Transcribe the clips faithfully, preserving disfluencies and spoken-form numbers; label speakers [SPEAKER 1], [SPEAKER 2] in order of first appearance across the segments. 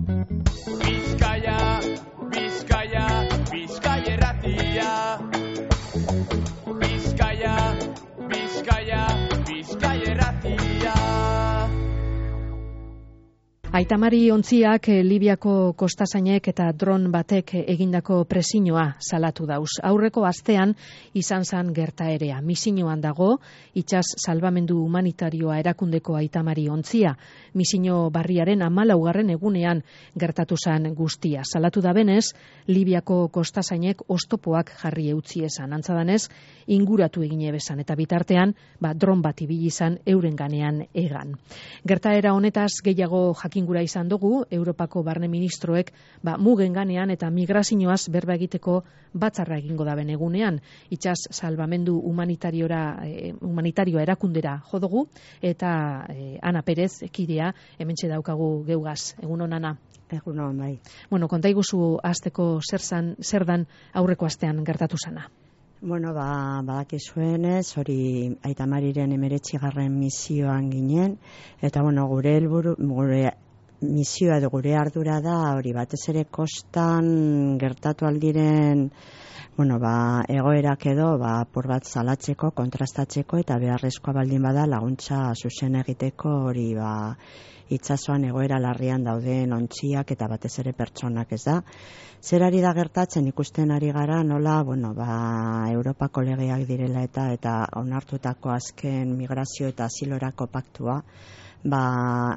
[SPEAKER 1] Bizkaia, Bizkaia, Bizkaia erratia. Bizkaia, Bizkaia, Bizkaia erratia.
[SPEAKER 2] Aitamari ontziak Libiako kostasainek eta dron batek egindako presioa salatu dauz. Aurreko astean izan zan gertaerea. Misioan dago itsas salbamendu humanitarioa erakundeko Aitamari ontzia. Misio barriaren hamalaugarren egunean gertatu zan guztia. Salatu da benez, Libiako kostasainek oztopoak jarri eutzi esan. Antza danez, inguratu egine bezan eta bitartean, ba, dron bat ibili izan euren ganean egan. Gertaera honetaz gehiago jakin gura izan dugu, Europako barne ministroek ba, mugen ganean eta migrazioaz berba egiteko batzarra egingo daben egunean. Itsas salbamendu humanitariora, eh, humanitarioa erakundera jodugu, eta eh, Ana Perez, kidea, hementxe daukagu geugaz. Egun hon, Ana?
[SPEAKER 3] Egun hon, bai.
[SPEAKER 2] Bueno, konta iguzu azteko zer, zan, zer dan aurreko astean gertatu zana.
[SPEAKER 3] Bueno, ba, badakizuenez, hori Aitamariren emeretzigarren misioan ginen, eta bueno, gure helburu, gure misioa edo gure ardura da, hori batez ere kostan gertatu aldiren, bueno, ba, egoerak edo, ba, apur bat salatzeko, kontrastatzeko, eta beharrezkoa baldin bada laguntza zuzen egiteko, hori ba, itsasoan egoera larrian dauden ontziak eta batez ere pertsonak, ez da. Zer ari da gertatzen ikusten ari gara, nola, bueno, ba, Europako legeak direla eta eta onartutako azken migrazio eta asilorako paktua, ba,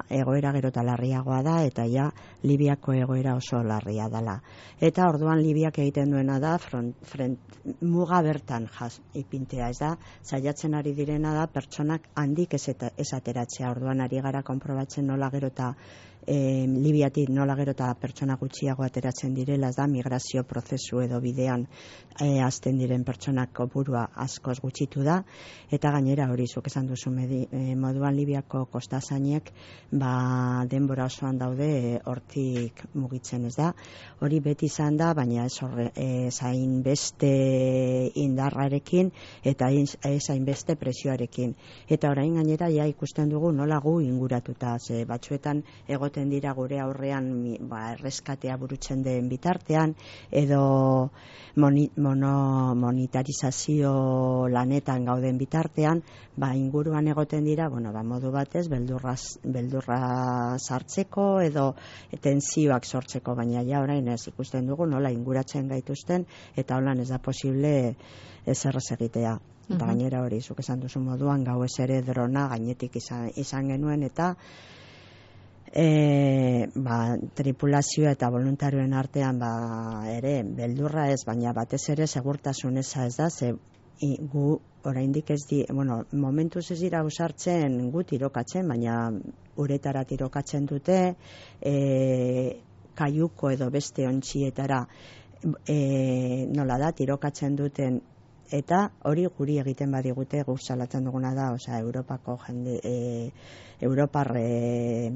[SPEAKER 3] egoera gero eta larriagoa da, eta ja Libiako egoera oso larria dela. Eta orduan Libiak egiten duena da, front, front, muga bertan jaz, ipintea, ez da, saiatzen ari direna da, pertsonak handik ez, eta, ez ateratzea, orduan ari gara konprobatzen nola gero eta E, Libiatik nola gero eta pertsona gutxiago ateratzen direla, ez da, migrazio prozesu edo bidean e, azten diren pertsonak kopurua askoz gutxitu da, eta gainera hori zuk esan duzu medi, e, moduan Libiako kostasainek ba, denbora osoan daude e, hortik mugitzen, ez da. Hori beti izan da, baina ez horre, e, zain beste indarrarekin eta ez zain beste presioarekin. Eta orain gainera ja ikusten dugu nola gu inguratuta, ze batzuetan egoten dira gure aurrean ba, erreskatea burutzen den bitartean, edo moni, mono, monetarizazio lanetan gauden bitartean, ba, inguruan egoten dira, bueno, ba, modu batez, beldurra, beldurra sartzeko edo tentsioak sortzeko, baina ja orain ez ikusten dugu nola inguratzen gaituzten, eta holan ez da posible ezer ez egitea. Eta uh-huh. Gainera hori, zuk esan duzu moduan, gau ez ere drona gainetik izan, izan genuen, eta E, ba, tripulazioa eta voluntarioen artean ba, ere beldurra ez, baina batez ere segurtasun eza ez da, ze i, gu oraindik ez di, bueno, momentuz ez dira usartzen gu tirokatzen, baina uretara tirokatzen dute, e, kaiuko edo beste ontzietara e, nola da, tirokatzen duten, eta hori guri egiten badigute guk salatzen duguna da, osea, Europako jende, e, Europar e,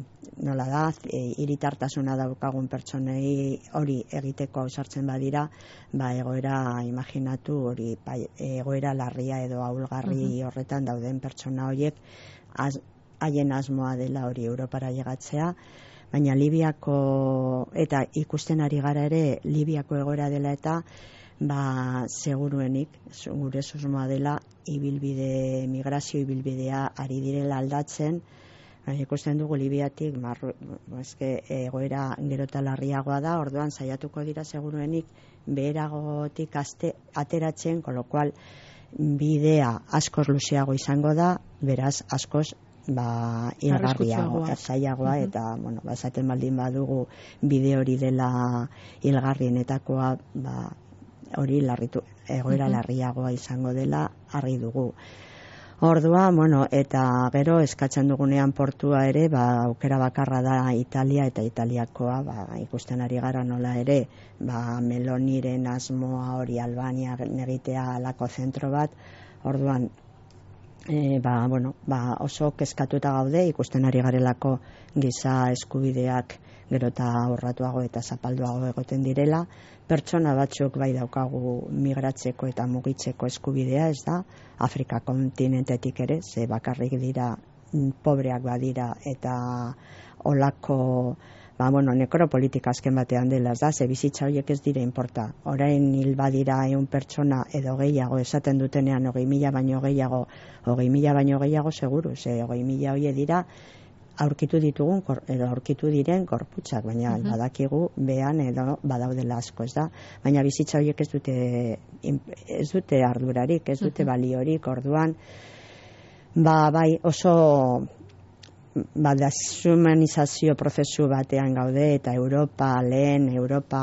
[SPEAKER 3] nola da, e, hiritartasuna daukagun pertsonei hori egiteko ausartzen badira, ba egoera imaginatu hori ba, egoera larria edo ahulgarri uh-huh. horretan dauden pertsona horiek az, haien asmoa dela hori Europara llegatzea, baina Libiako eta ikusten ari gara ere Libiako egoera dela eta ba, seguruenik, gure susmoa dela, ibilbide, migrazio ibilbidea ari direla aldatzen, ba, ikusten dugu Libiatik, marru, eske, egoera gero eta larriagoa da, orduan saiatuko dira seguruenik beheragotik aste, ateratzen, kolokual bidea askoz luzeago izango da, beraz askoz ba, hilgarriago, zailagoa, uh-huh. eta, bueno, ba, esaten baldin badugu bide hori dela hilgarrienetakoa, ba, hori larritu, egoera uh-huh. larriagoa izango dela argi dugu. Ordua, bueno, eta gero eskatzen dugunean portua ere, ba, aukera bakarra da Italia eta Italiakoa, ba, ikusten ari gara nola ere, ba, Meloniren asmoa hori Albania negitea alako zentro bat, orduan, e, ba, bueno, ba, oso kezkatuta gaude, ikusten ari garelako giza eskubideak gero eta aurratuago eta zapalduago egoten direla, pertsona batzuk bai daukagu migratzeko eta mugitzeko eskubidea, ez da, Afrika kontinentetik ere, ze bakarrik dira pobreak badira eta olako ba, bueno, nekropolitika azken batean dela, ez da, ze bizitza horiek ez dire inporta. Orain hil badira ehun pertsona edo gehiago esaten dutenean hogei mila baino gehiago, hogei mila baino gehiago seguru, ze hogei mila hoie dira aurkitu ditugun edo aurkitu diren gorputzak, baina uh-huh. badakigu behan edo badaudela asko, ez da. Baina bizitza horiek ez dute ez dute ardurarik, ez dute uh-huh. baliorik, orduan ba bai oso ba, deshumanizazio prozesu batean gaude eta Europa lehen, Europa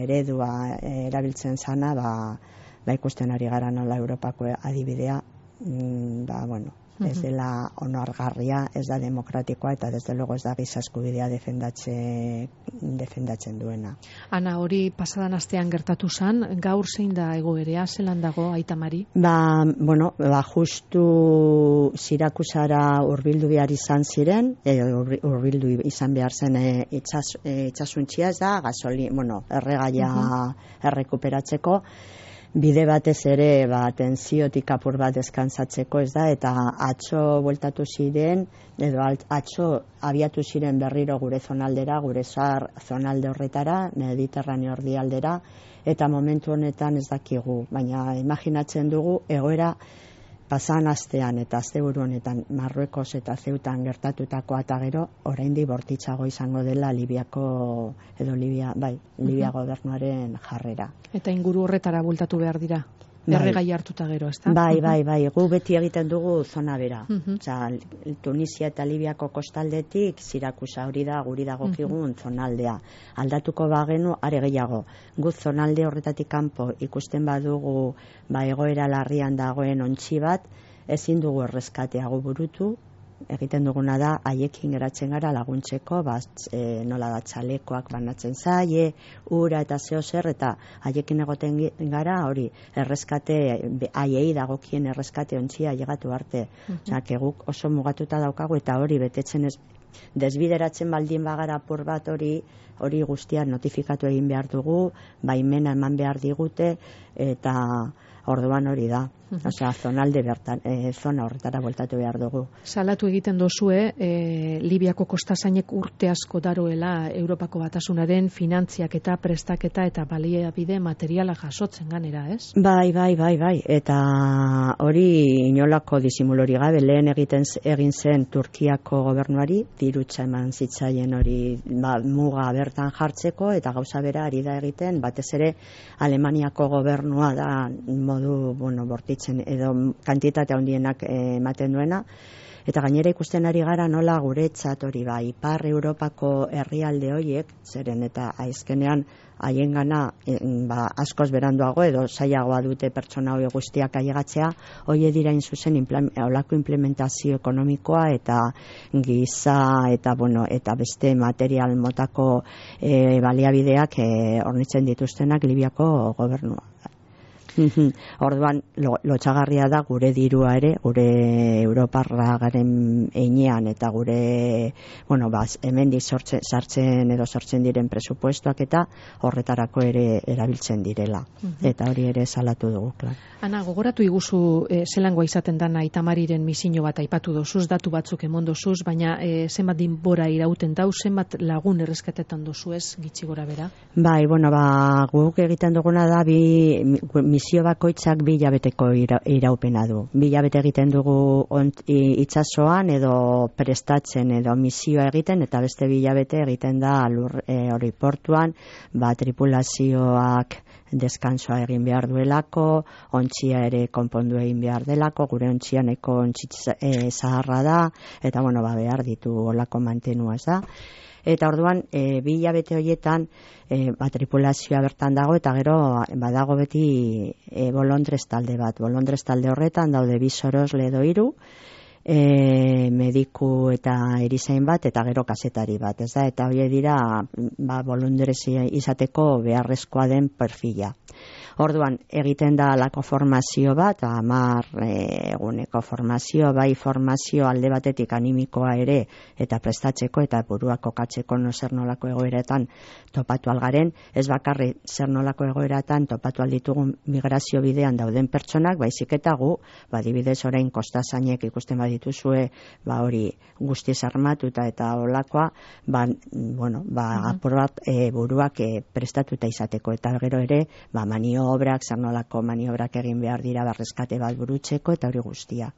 [SPEAKER 3] eredua erabiltzen zana, ba, ba ikusten ari gara nola Europako adibidea, mm, ba, bueno, ez dela onargarria, ez da demokratikoa eta desde luego ez da giza eskubidea defendatze, defendatzen duena.
[SPEAKER 2] Ana, hori pasadan astean gertatu zen, gaur zein da egoerea, zelan dago Aita Mari?
[SPEAKER 3] Ba, bueno, ba, justu Sirakusara hurbildu behar izan ziren, e, hurbildu izan behar zen e, itxas, e, itxasuntxia ez da, gasoli, bueno, erregaia uh-huh. errekuperatzeko, bide batez ere ba, tensiotik apur bat deskansatzeko, ez da, eta atzo bueltatu ziren, edo atzo abiatu ziren berriro gure zonaldera, gure zahar zonalde horretara, Mediterraneo erdialdera, eta momentu honetan ez dakigu, baina imaginatzen dugu egoera pasan astean eta asteburu honetan Marruekos eta Zeutan gertatutakoa eta gero oraindik bortitzago izango dela Libiako edo Libia, bai, Libia uh-huh. gobernuaren jarrera.
[SPEAKER 2] Eta inguru horretara bueltatu behar dira. Erregai hartuta gero, ezta?
[SPEAKER 3] Bai, bai, bai, gu beti egiten dugu zona bera. Uh-huh. Osea, Tunisia eta Libiako kostaldetik Sirakusa hori da guri dagokigun uh-huh. zonaldea. Aldatuko bagenu are gehiago. Gu zonalde horretatik kanpo ikusten badugu ba egoera larrian dagoen ontzi bat, ezin dugu erreskatea gu burutu. Egiten duguna da haiekin geratzen gara laguntzeko, bat, e, nola da txalekoak banatzen zaie, ura eta zeo zer, eta haiekin egoten gara hori erreskate, haiei dagokien erreskate ontzia llegatu arte. Uh-huh. Osea, guk oso mugatuta daukagu eta hori betetzen ez, desbideratzen baldin bagara apur bat hori, hori guztia notifikatu egin behar dugu, baimena eman behar digute, eta orduan hori da. Osea, zonalde bertan, e, zona horretara bueltatu behar dugu.
[SPEAKER 2] Salatu egiten dozue, e, Libiako kostazainek urte asko daroela Europako Batasunaren finantziak eta prestaketa eta baliabide materiala jasotzen ganera, ez?
[SPEAKER 3] Bai, bai, bai, bai. Eta hori inolako disimulori gabe lehen egiten egin zen Turkiako gobernuari, dirutza eman zitzaien hori ba, muga bertan jartzeko eta gauza bera ari da egiten, batez ere Alemaniako gobernua da modu, bueno, bortitzen edo kantitate handienak ematen duena, eta gainera ikusten ari gara nola guretzat hori ba, Ipar Europako herrialde horiek, zeren eta aizkenean haiengana ba, askoz beranduago edo zailagoa dute pertsona hori guztiak ailegatzea, hori dira zuzen olako implementazio ekonomikoa eta giza eta bueno, eta beste material motako e, baliabideak e, hornitzen dituztenak Libiako gobernua. Orduan, lotxagarria da gure dirua ere, gure Europarra garen einean eta gure, bueno, baz, hemendik sortzen, sartzen edo sortzen diren presupuestoak eta horretarako ere erabiltzen direla. Uh-huh. Eta hori ere salatu dugu, klar.
[SPEAKER 2] Ana, gogoratu iguzu eh, zelangoa izaten dana Aita Mariren misio bat aipatu dozuz, datu batzuk emon dozuz, baina eh, zenbat dinbora irauten dau, zenbat lagun erreskatetan dozu ez, gitxi gora bera?
[SPEAKER 3] Bai, bueno, ba, guk egiten duguna da, bi, misio bakoitzak bi hilabeteko ira, iraupena du. Bi hilabete egiten dugu ont, itsasoan edo prestatzen edo misioa egiten, eta beste bi hilabete egiten da lur, e, hori portuan, ba, tripulazioak deskansoa egin behar duelako, ontzia ere konpondu egin behar delako, gure ontzia neko ontzitz e, zaharra da, eta bueno, ba, behar ditu olako mantenua ez da. Eta orduan, e, bi hilabete horietan, e, ba, tripulazioa bertan dago, eta gero badago beti e, bolondrez talde bat. Bolondrez talde horretan daude bi sorosle edo hiru, e, mediku eta erizain bat, eta gero kazetari bat, ez da? Eta hori dira, ba, bolondrez izateko beharrezkoa den perfila. Orduan, egiten da alako formazio bat, hamar e, eguneko formazio, bai formazio alde batetik animikoa ere, eta prestatzeko eta burua kokatzeko no zer nolako egoeretan topatu algaren, ez bakarri zer nolako egoeretan topatu alditugun migrazio bidean dauden pertsonak, baizik eta gu, badibidez orain kostazainek ikusten badituzue, ba hori guztiz armatuta eta olakoa, ba, bueno, ba, uh-huh. apur bat e, buruak e, prestatuta izateko, eta gero ere, ba, maniobrak, zer nolako maniobrak egin behar dira, barreskate bat burutzeko, eta hori guztia.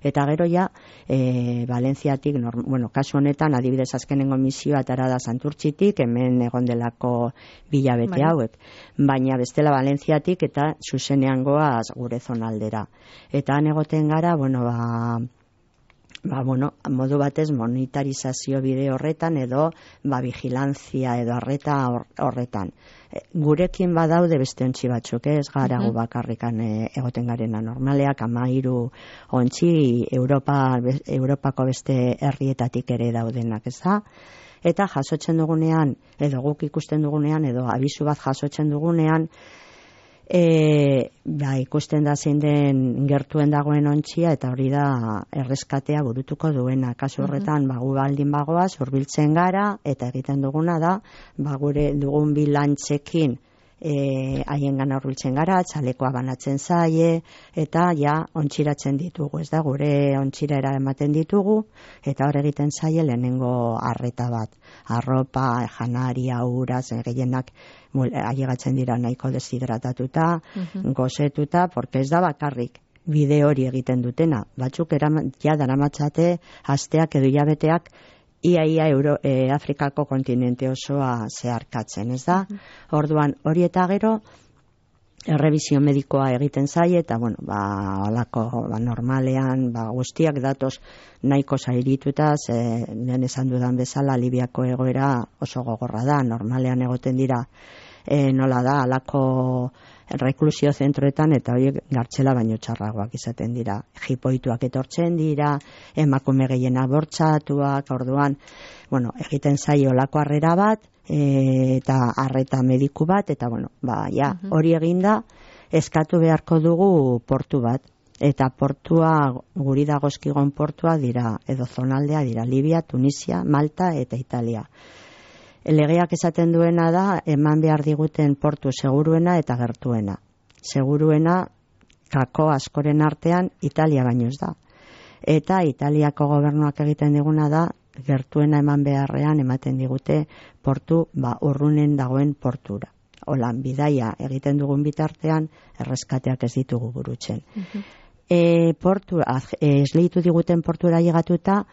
[SPEAKER 3] Eta gero ja, e, Valentziatik, norm, bueno, kasu honetan, adibidez azkenengo misioa atara da Santurtzitik, hemen egon delako bilabete bai. hauek. Baina bestela Valentziatik eta zuzenean goaz gure zonaldera. Eta han egoten gara, bueno, ba, ba, bueno, modu batez monetarizazio bide horretan edo ba, vigilantzia edo arreta horretan. E, gurekin badaude beste ontsi batzuk, ez gara gu bakarrikan e, egoten garena normaleak, amairu ontsi Europa, Europako beste herrietatik ere daudenak, ez da? Eta jasotzen dugunean, edo guk ikusten dugunean, edo abisu bat jasotzen dugunean, E, ba, ikusten da zein den gertuen dagoen ontzia, eta hori da erreskatea burutuko duena. Kasu horretan, uh-huh. ba, gu baldin bagoaz, hurbiltzen gara, eta egiten duguna da, ba, gure dugun bilantzekin e, haien gana hurbiltzen gara, txalekoa banatzen zaie, eta ja ontziratzen ditugu, ez da, gure ontzira ematen ditugu, eta hor egiten zaie lehenengo arreta bat. Arropa, janaria, uraz, gehienak ailegatzen dira nahiko deshidratatuta, uh-huh. gozetuta, porque ez da bakarrik bide hori egiten dutena. Batzuk eraman, ja daramatzate asteak edo hilabeteak ia ia Euro, e, Afrikako kontinente osoa zeharkatzen, ez da? Uh-huh. Orduan, hori eta gero errebizio medikoa egiten zaie, eta bueno, ba, olako, ba, normalean, ba, guztiak datoz nahiko zairituta, ze lehen esan dudan bezala, Libiako egoera oso gogorra da, normalean egoten dira, e, nola da, alako reklusio zentroetan, eta horiek gartxela baino txarragoak izaten dira. Jipoituak etortzen dira, emakume gehienak bortxatuak, orduan, bueno, egiten zaio olako harrera bat, E, eta arreta mediku bat, eta bueno, ba, ja, uh-huh. hori eginda, eskatu beharko dugu portu bat, eta portua, guri dagozkigon portua dira, edo zonaldea dira, Libia, Tunisia, Malta eta Italia. Legeak esaten duena da, eman behar diguten portu seguruena eta gertuena. Seguruena, kako askoren artean, Italia baino ez da. Eta Italiako gobernuak egiten diguna da, gertuena eman beharrean ematen digute portu, ba, urrunen dagoen portura. Holan, bidaia egiten dugun bitartean, erreskateak ez ditugu burutzen. Uh-huh. E, portu, e, esleitu diguten portura llegatuta,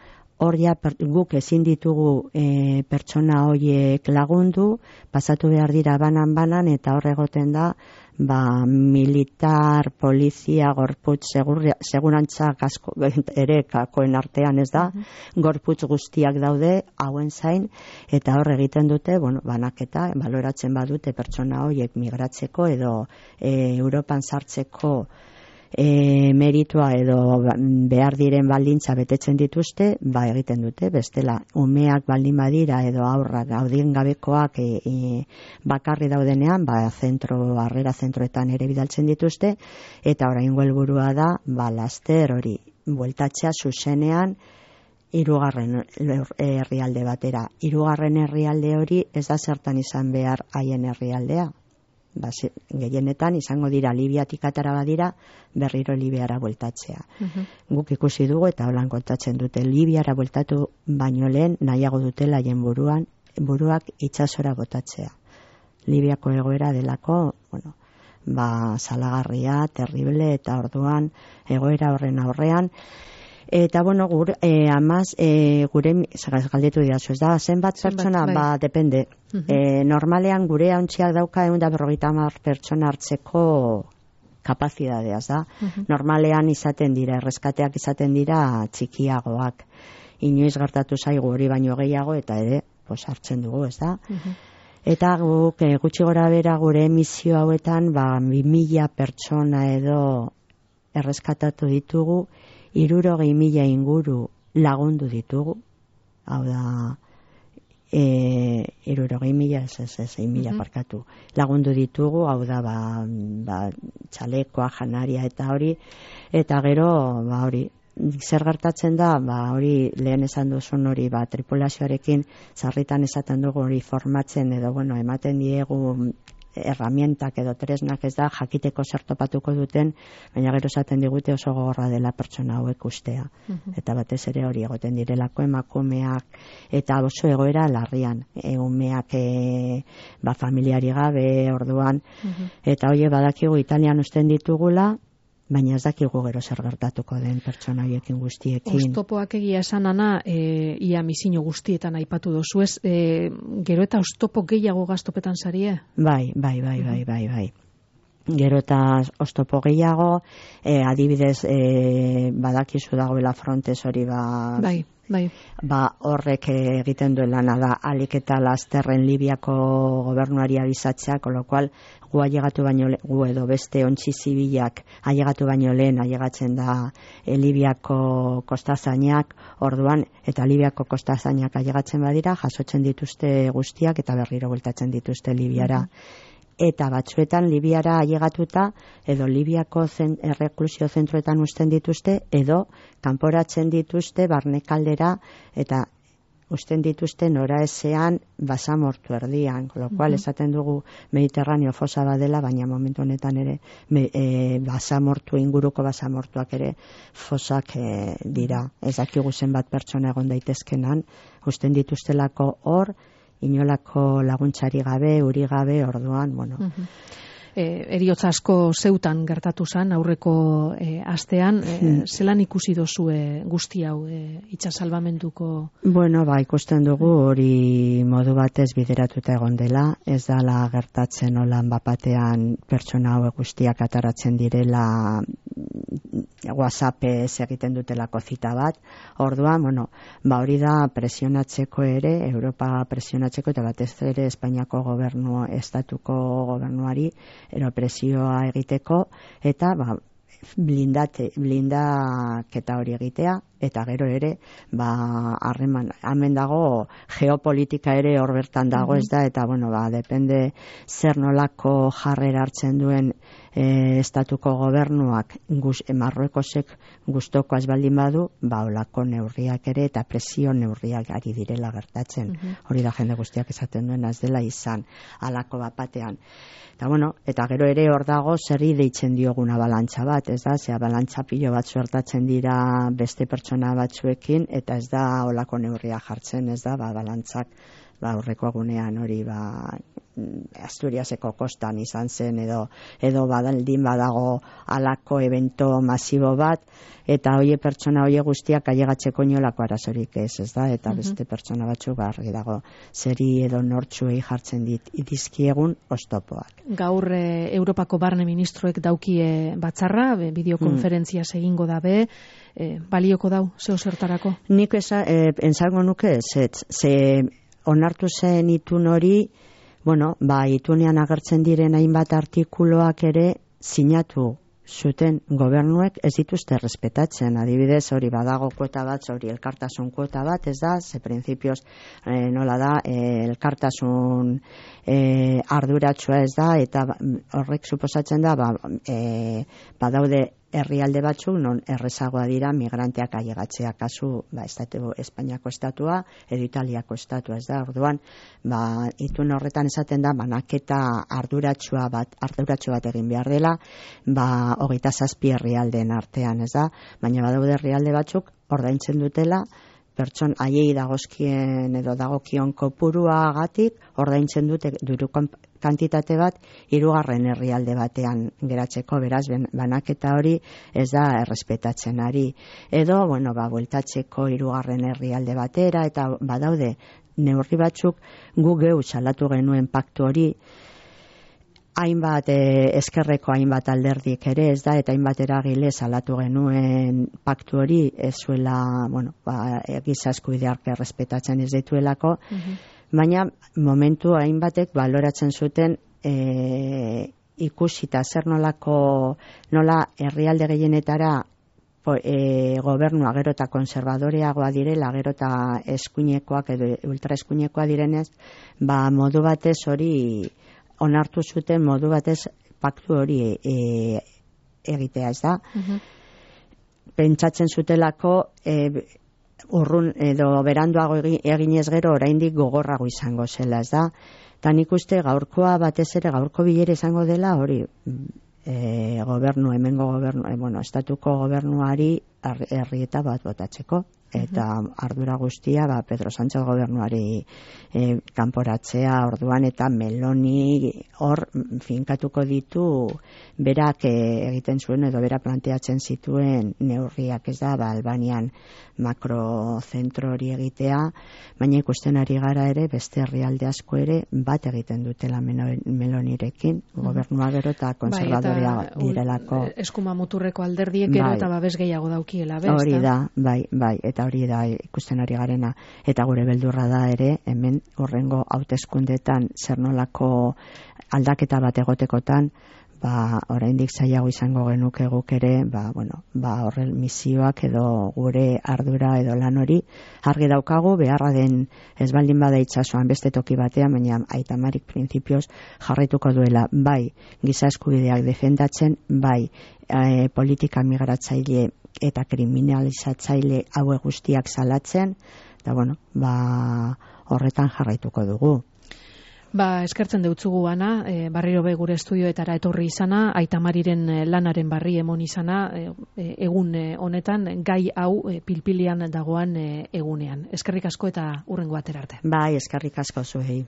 [SPEAKER 3] hor ja per, guk ezin ditugu e, pertsona horiek lagundu, pasatu behar dira banan-banan, eta hor egoten da, ba, militar, polizia, gorputz, segur, segurantza kasko, ere kakoen artean ez da, uh-huh. gorputz guztiak daude, hauen zain, eta hor egiten dute, bueno, banaketa, baloratzen badute pertsona horiek migratzeko edo e, Europan sartzeko E, meritua edo behar diren baldintza betetzen dituzte, ba egiten dute, bestela umeak baldin badira edo aurrak gaudien gabekoak e, e, bakarri daudenean, ba zentro, harrera zentroetan ere bidaltzen dituzte, eta oraingo helburua da, ba laster hori, bueltatzea zuzenean hirugarren herrialde batera. Hirugarren herrialde hori ez da zertan izan behar haien herrialdea. Ba, gehienetan izango dira Libiatik atara badira berriro Libiara bueltatzea. Uh-huh. Guk ikusi dugu eta holan kontatzen dute Libiara bueltatu baino lehen nahiago dutela haien buruan buruak itsasora botatzea. Libiako egoera delako, bueno, ba salagarria, terrible, eta orduan egoera horren aurrean. Eta bueno, gure, eh, amaz, eh, gure, galdetu didazu, ez da, zenbat pertsona, bai. Ba, depende. Uh-huh. eh, normalean gure hauntziak dauka egun da berrogeita hamar pertsona hartzeko kapazitatea, da. Uh-huh. Normalean izaten dira, erreskateak izaten dira txikiagoak. Inoiz gertatu zaigu hori baino gehiago, eta ere, pues, hartzen dugu, ez da. Uh-huh. Eta guk, eh, gutxi gora bera gure emisio hauetan, ba, bi mila pertsona edo erreskatatu ditugu, hirurogei mila inguru lagundu ditugu, hau da, E, irurogei mila, ez ez ez, egin mila parkatu. Lagundu ditugu, hau da, ba, ba, txalekoa, janaria eta hori, eta gero, ba, hori, zer gertatzen da, ba, hori lehen esan duzun hori, ba, tripulazioarekin sarritan esaten dugu hori formatzen edo, bueno, ematen diegu herramientak edo tresnak ez da jakiteko zer topatuko duten, baina gero esaten digute oso gogorra dela pertsona hauek ustea. Uh-huh. Eta batez ere hori egoten direlako emakumeak eta oso egoera larrian, umeak e, ba, familiari gabe orduan, uh-huh. Eta hoie badakigu Italian usten ditugula, baina ez dakigu gero zer gertatuko den pertsona horiekin guztiekin.
[SPEAKER 2] Oztopoak egia esan ana, e, ia misino guztietan aipatu dozu ez, e, gero eta oztopo gehiago gaztopetan zarie?
[SPEAKER 3] Bai, bai, bai, bai, bai, bai. Gero eta oztopo gehiago, e, adibidez, e, badakizu dagoela frontes hori ba...
[SPEAKER 2] Bai. Bai.
[SPEAKER 3] Ba, horrek egiten duelana da alik eta lasterren Libiako gobernuari abizatzea, con lo cual gu ailegatu baino gu edo beste ontzi zibilak ailegatu baino lehen ailegatzen da e, Libiako kostazainak, orduan eta Libiako kostazainak ailegatzen badira, jasotzen dituzte guztiak eta berriro bueltatzen dituzte Libiara. Mm-hmm. Eta batzuetan Libiara ailegatuta edo Libiako zen, erreklusio zentroetan usten dituzte edo kanporatzen dituzte barnekaldera eta usten dituzte nora ezean basamortu erdian, con lo cual uh-huh. esaten dugu Mediterraneo fosa badela, baina momentu honetan ere me, e, basamortu inguruko basamortuak ere fosak e, dira. Ez dakigu zenbat pertsona egon daitezkenan, usten dituztelako hor, inolako laguntzari gabe, uri gabe, orduan, bueno.
[SPEAKER 2] Uh-huh. E, eriotza asko zeutan gertatu zen aurreko e, astean, e, hmm. zelan ikusi dozue guzti hau e, itxasalbamenduko?
[SPEAKER 3] Bueno, ba, ikusten dugu hori modu batez bideratuta egon dela, ez dala gertatzen olan bapatean pertsona hauek guztiak ataratzen direla WhatsAppez egiten dutelako zita bat, orduan, bueno, ba hori da presionatzeko ere, Europa presionatzeko eta batez ere Espainiako gobernu, estatuko gobernuari ero presioa egiteko eta ba, blindate, blindaketa hori egitea eta gero ere ba, harreman, hemen dago geopolitika ere hor bertan dago, ez da, eta bueno, ba, depende zer nolako jarrera hartzen duen e, estatuko gobernuak guz, e, Marruekosek gustoko azbaldin badu, ba, olako neurriak ere eta presio neurriak ari direla gertatzen. Uh-huh. Hori da jende guztiak esaten duen az dela izan alako bapatean. Eta bueno, eta gero ere hor dago zerri deitzen dioguna balantza bat, ez da, zea balantza pilo bat suertatzen dira beste pertsona batzuekin, eta ez da olako neurria jartzen, ez da, ba, balantzak, ba, aurreko egunean hori, ba, Asturiaseko kostan izan zen, edo, edo badaldin badago alako evento masibo bat, eta hoie pertsona hoie guztiak ailegatzeko inolako arazorik ez, ez da, eta beste pertsona batzuk argi dago zeri edo nortzuei jartzen dit dizkiegun oztopoak.
[SPEAKER 2] Gaur e, Europako barne ministroek daukie batzarra, bideokonferentzia hmm. egingo dabe, e, balioko dau, zeo zertarako?
[SPEAKER 3] Nik esa, e, entzango nuke ez, ze onartu zen itun hori, bueno, ba, itunean agertzen diren hainbat artikuluak ere sinatu zuten gobernuek ez dituzte respetatzen. Adibidez, hori badago kuota bat, hori elkartasun kuota bat, ez da, ze printzipioz eh, nola da, eh, elkartasun eh, arduratsua ez da, eta horrek suposatzen da, ba, eh, badaude herrialde batzuk non errezagoa dira migranteak ailegatzea, kasu ba, estatu, Espainiako estatua edo Italiako estatua, ez da, orduan ba, itun horretan esaten da banaketa arduratsua bat, arduratsua bat egin behar dela, ba, hogeita zazpi herrialdeen artean, ez da, baina badaude herrialde batzuk ordaintzen dutela pertson haiei dagozkien edo dagokion kopuruagatik ordaintzen dute diru kantitate bat hirugarren herrialde batean geratzeko, beraz banaketa hori ez da errespetatzen ari. Edo, bueno, ba, bueltatzeko hirugarren herrialde batera, eta badaude neurri batzuk gu geu salatu genuen paktu hori, hainbat eh, eskerreko hainbat alderdik ere ez da, eta hainbat eragile salatu genuen paktu hori ez zuela, bueno, ba, giza eskubideak errespetatzen ez dituelako, uh-huh. baina momentu hainbatek baloratzen zuten e, ikusita zer nolako, nola herrialde gehienetara po, e, gobernua gero eta konservadoreagoa direla, gero eta eskuinekoak edo ultraeskuinekoa direnez, ba modu batez hori onartu zuten modu batez paktu hori e, egitea, ez da? Uh-huh. Pentsatzen zutelako e, urrun edo beranduago eginez gero oraindik gogorrago izango zela, ez da? Ta nik uste gaurkoa batez ere gaurko bilera izango dela hori e, gobernu, hemengo gobernu, e, bueno, estatuko gobernuari herrieta bat botatzeko. Eta ardura guztia ba, Pedro Sánchez gobernuari e, kanporatzea orduan eta Meloni hor finkatuko ditu berak e, egiten zuen edo berak planteatzen zituen neurriak, ez da, ba, Albanian makrozentro hori egitea, baina ikusten ari gara ere beste herrialde asko ere bat egiten dutela Melonirekin, gobernua gero eta konservadorea bai, direlako.
[SPEAKER 2] Eskuma muturreko alderdiek gero bai, eta babes gehiago daukiela, besta?
[SPEAKER 3] Hori da, bai, bai, eta hori da ikusten ari garena, eta gure beldurra da ere hemen horrengo hauteskundetan zer nolako aldaketa bat egotekotan, ba oraindik zailago izango genuke guk ere, ba bueno, ba horrel misioak edo gure ardura edo lan hori argi daukagu, beharra den ez baldin bada itsasoan beste toki batean, baina Aita Marik printzipioz jarraituko duela bai giza eskubideak defendatzen, bai e, politika migratzaile eta kriminalizatzaile haue guztiak salatzen, eta bueno, ba horretan jarraituko dugu.
[SPEAKER 2] Ba, eskertzen deutzugu Ana, e, barriro be gure estudioetara etorri izana, Aita Mariren lanaren barri emon izana, e, egun honetan, gai hau e, pilpilian dagoan e, egunean. Eskerrik asko eta hurrengo atera arte.
[SPEAKER 3] Bai, eskerrik asko zuei.